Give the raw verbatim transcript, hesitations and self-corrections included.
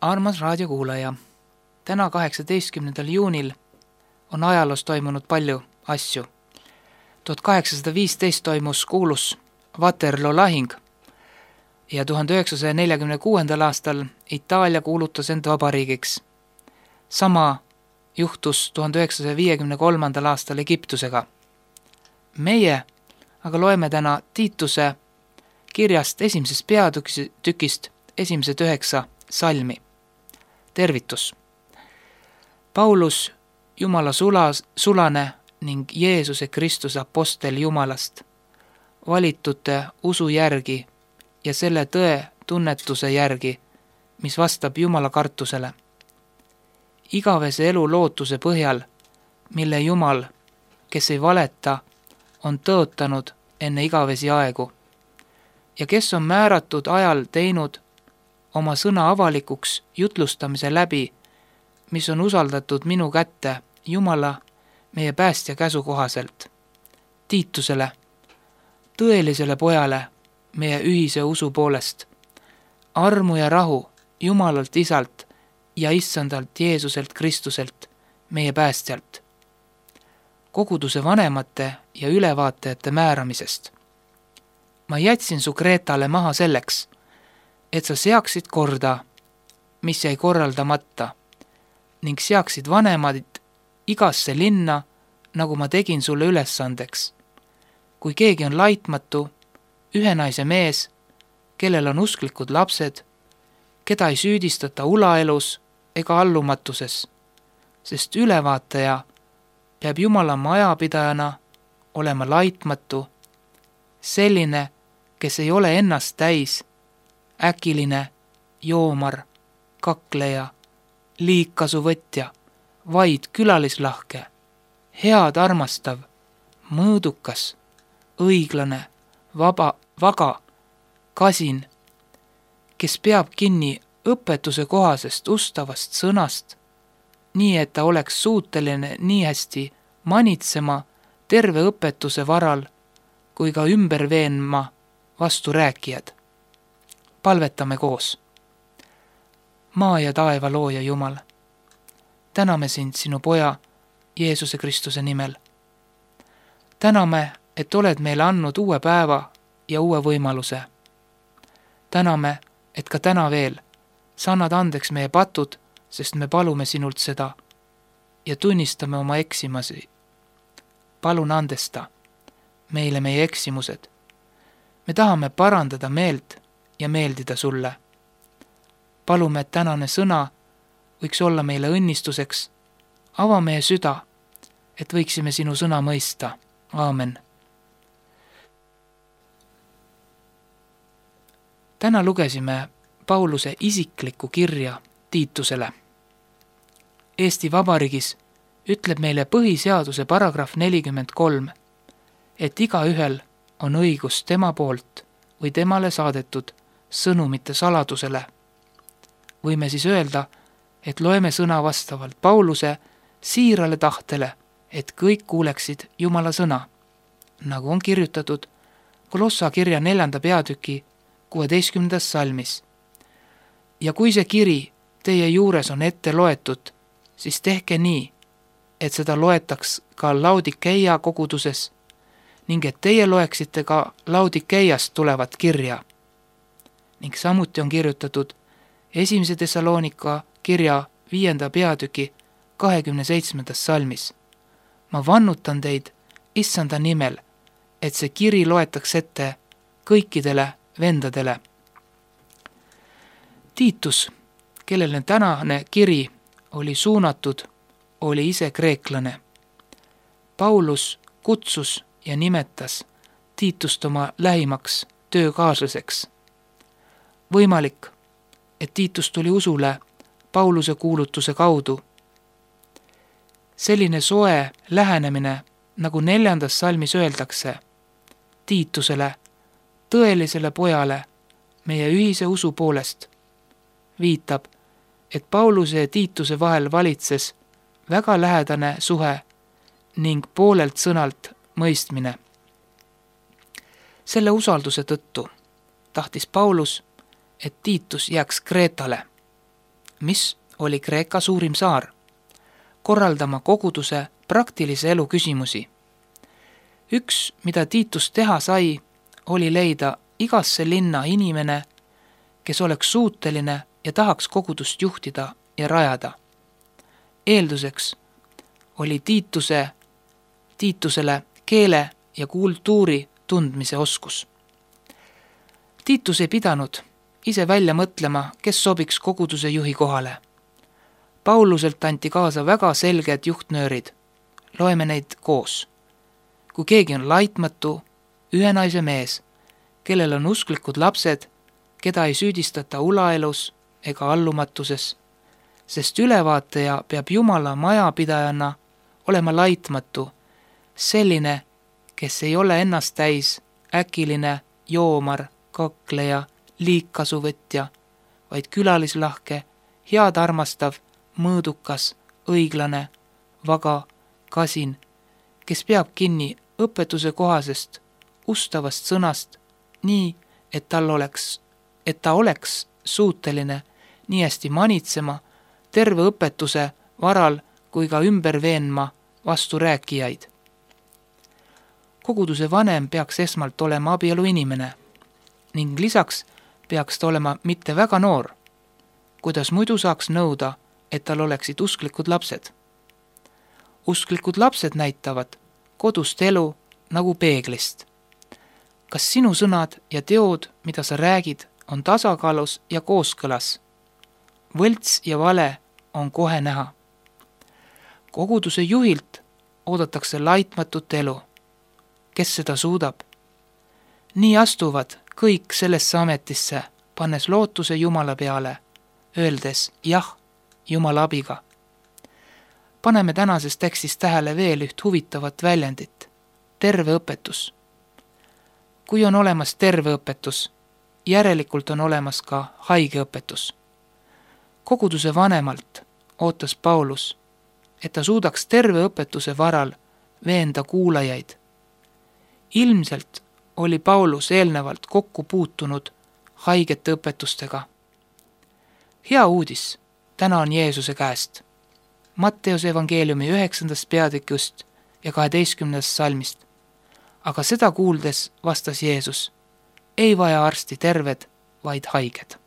Armas raadiokuulaja, täna kaheksateistkümnendal juunil on ajaloos toimunud palju asju. tuhat kaheksasada viisteist toimus kuulus Waterloo lahing ja tuhande üheksasaja neljakümne kuuendal aastal Itaalia kuulutas end vabariigiks. Sama juhtus tuhande üheksasaja viiekümne kolmandal aastal Egiptusega. Meie aga loeme täna Tiituse kirjast esimesest peatükist esimesed üheksa salmi. Tervitus! Paulus, Jumala sulas, sulane ning Jeesuse Kristuse apostel Jumalast, valitute usu järgi ja selle tõe tunnetuse järgi, mis vastab Jumala kartusele. Igavese elu lootuse põhjal, mille Jumal, kes ei valeta, on tõotanud enne igavesi aegu ja kes on määratud ajal teinud oma sõna avalikuks jutlustamise läbi, mis on usaldatud minu kätte Jumala, meie päästja käsu kohaselt. Tiitusele, tõelisele pojale, meie ühise usu poolest, armu ja rahu Jumalalt Isalt ja Issandalt Jeesuselt Kristuselt, meie päästjalt. Koguduse vanemate ja ülevaatajate määramisest. Ma jätsin su Kreetale maha selleks, et sa seaksid korda, mis jäi korraldamata, ning seaksid vanemad igasse linna, nagu ma tegin sulle ülesandeks. Kui keegi on laitmatu, ühe naise mees, kellel on usklikud lapsed, keda ei süüdistata ulaelus ega allumatuses, sest ülevaataja peab Jumala majapidajana olema laitmatu, selline, kes ei ole ennast täis, äkiline, joomar, kakleja, liigkasuvõtja, vaid külalislahke, head armastav, mõõdukas, õiglane, vaba, vaga, kasin, kes peab kinni õpetuse kohasest ustavast sõnast, nii et ta oleks suuteline nii hästi manitsema terve õpetuse varal, kui ka ümber veenma vastu rääkijad. Palvetame koos. Maa ja taeva looja Jumal, täname sind sinu poja Jeesuse Kristuse nimel. Täname, et oled meile andnud uue päeva ja uue võimaluse. Täname, et ka täna veel sa annad andeks meie patud, sest me palume sinult seda ja tunnistame oma eksimasi. Palun andesta meile meie eksimused. Me tahame parandada meelt ja meeldida sulle. Palume, et tänane sõna võiks olla meile õnnistuseks. Ava meie süda, et võiksime sinu sõna mõista. Aamen. Täna lugesime Pauluse isiklikku kirja Tiitusele. Eesti Vabariigis ütleb meile põhiseaduse paragrahv nelikümmend kolm, et igaühel on õigus tema poolt või temale saadetud sõnumite saladusele. Võime siis öelda, et loeme sõna vastavalt Pauluse siirale tahtele, et kõik kuuleksid Jumala sõna, nagu on kirjutatud Kolossa kirja neljanda peatüki kuueteistkümnendas salmis. Ja kui see kiri teie juures on ette loetud, siis tehke nii, et seda loetaks ka Laudikeia koguduses ning et teie loeksite ka Laudikeiast tulevat kirja. Ning samuti on kirjutatud esimese Thessalonika kirja viienda peatüki kahekümne seitsmendas salmis. Ma vannutan teid Issanda nimel, et see kiri loetaks ette kõikidele vendadele. Tiitus, kellele tänane kiri oli suunatud, oli ise kreeklane. Paulus kutsus ja nimetas Tiitust oma lähimaks töökaaslaseks. Võimalik, et Tiitus tuli usule Pauluse kuulutuse kaudu. Selline soe lähenemine, nagu neljandas salmis öeldakse, Tiitusele, tõelisele pojale, meie ühise usu poolest, viitab, et Pauluse ja Tiituse vahel valitses väga lähedane suhe ning poolelt sõnalt mõistmine. Selle usalduse tõttu tahtis Paulus, et Tiitus jääks Kreetale. mis oli Kreeka suurim saar, korraldama koguduse praktilise elu küsimusi. Üks, mida Tiitus teha sai, oli leida igasse linna inimene, kes oleks suuteline ja tahaks kogudust juhtida ja rajada. Eelduseks oli Tiituse, Tiitusele keele ja kultuuri tundmise oskus. Tiitus ei pidanud ise välja mõtlema, kes sobiks koguduse juhi kohale. Pauluselt anti kaasa väga selged juhtnöörid. Loeme neid koos. Kui keegi on laitmatu, ühe naise mees, kellel on usklikud lapsed, keda ei süüdistata ulaelus ega allumatuses, sest ülevaataja peab Jumala majapidajana olema laitmatu, selline, kes ei ole ennast täis, äkiline, joomar, kakleja, liigkasuvõtja, vaid külalislahke, head armastav, mõõdukas, õiglane, vaga, kasin, kes peab kinni õpetuse kohasest, ustavast sõnast, nii, et tal oleks, et ta oleks suuteline nii hästi manitsema terve õpetuse varal kui ka ümber veenma vasturääkijaid. Koguduse vanem peaks esmalt olema abielu inimene ning lisaks peaks ta olema mitte väga noor, kuidas muidu saaks nõuda, et tal oleksid usklikud lapsed. Usklikud lapsed näitavad kodust elu nagu peeglist. Kas sinu sõnad ja teod, mida sa räägid, on tasakaalus ja kooskõlas? Võlts ja vale on kohe näha. Koguduse juhilt oodatakse laitmatut elu. Kes seda suudab? Nii astuvad kõik sellesse ametisse, pannes lootuse Jumala peale, öeldes jah Jumala abiga. Paneme tänases tekstis tähele veel üht huvitavat väljendit. Terve õpetus. Kui on olemas terve õpetus, järelikult on olemas ka haige õpetus. Koguduse vanemalt ootas Paulus, et ta suudaks terve õpetuse varal veenda kuulajaid. Ilmselt oli Paulus eelnevalt kokku puutunud haigete õpetustega. Hea uudis täna on Jeesuse käest. Matteuse evangeeliumi üheksandast peatükist ja kaheteistkümnendast salmist. Aga seda kuuldes vastas Jeesus, ei vaja arsti terved, vaid haiged.